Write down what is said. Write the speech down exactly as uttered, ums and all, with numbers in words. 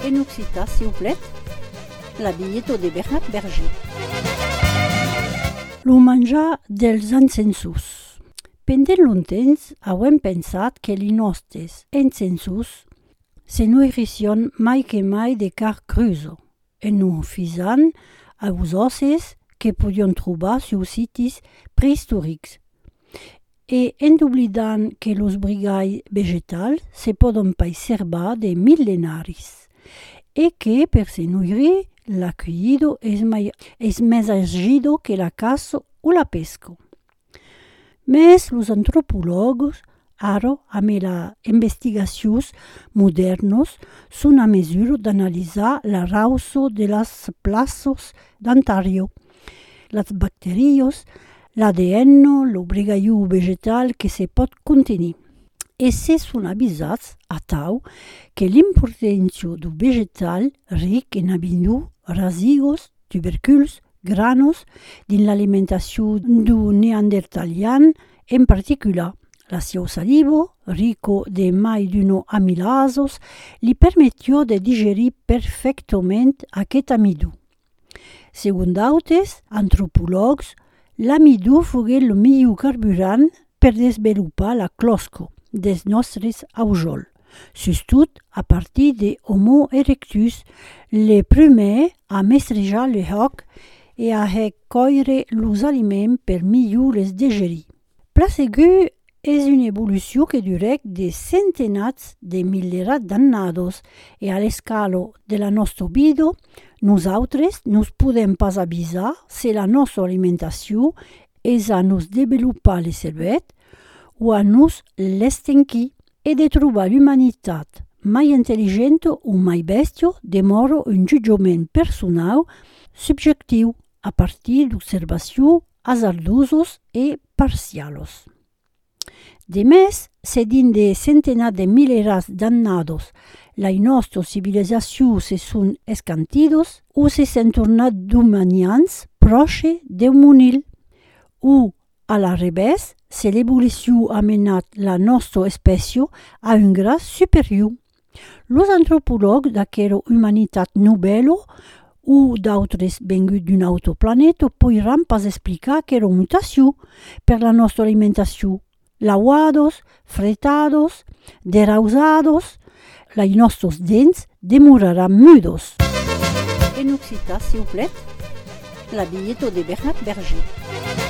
En occitan, siuplèt, la bilheta de Bernat Berger. Lo manjar dels encensors. Pendent longtemps, avèm pensat que li nòstes encensors se noirissián mai que mai de carn crusa, en nos fisant aus òsses que podián trobar sus sites preistorics, e en doblidant que los brigalhs vegetals se pòdon pas serbar de millenaris, e que, per se noirir, la cueida es mai, es mès agida que la caça o la pesca. Mès los antropològs, ara, amb las investigacions modèrnas, son a mesura d'analisar la rauça de las plaças d'antarior, las bacterias, l'A D N, lo brigalhon vegetal que se pòt contenir. E se son avisats atau que l'importància dau vegetal ric en amidon, rasigas, tuberculs, granas, dins l'alimentacion dau neandertalian en particular. La sieu saliva, rica de mai d'una amilasas, li permetiá de digerir perfèctament aqueth amidon. Segon d'autes antropològs, l'amidon foguèt lo milhor carburant per desvelopar la clòsca dels nòstres aujòls, sustot a partir de Homo erectus, le prumèr a mestrejar le hòc e a hèr còire los aliments per milhor les digerir. Plan segur, es una evolucion que durèc de centenats de milierats d'annadas e a l'escala de la nòsta vida, nosautres nos podèm pas avisar se la nòsta alimentacion es a nos desvelopar le cervèth o a nos l'estenquir, e de trobar l'umanitat mai intelligenta o mai bèstia demòra un jutjament personau subjectiu a partir d'observacions azardosas e parcialas. De mès, se dins de centenats de milierats d'annadas, las nòstas civilizacions se son escantidas o se son tornadas dominiants pròches deu monil, o, a l'arrevèrs, se l'evolucion a menat la nòsta espècia a un grad superior. Los antropològs d'aquera umanitat novèla o d'autres venguts d'un autre planeta poiràn pas explicar aquera mutacion per la nòsta alimentacion. Lauadas, fretadas, derausadas, las nòstas dents demoraràn mudas. En occitan, siuplèt, la bilheta de Bernat Berger.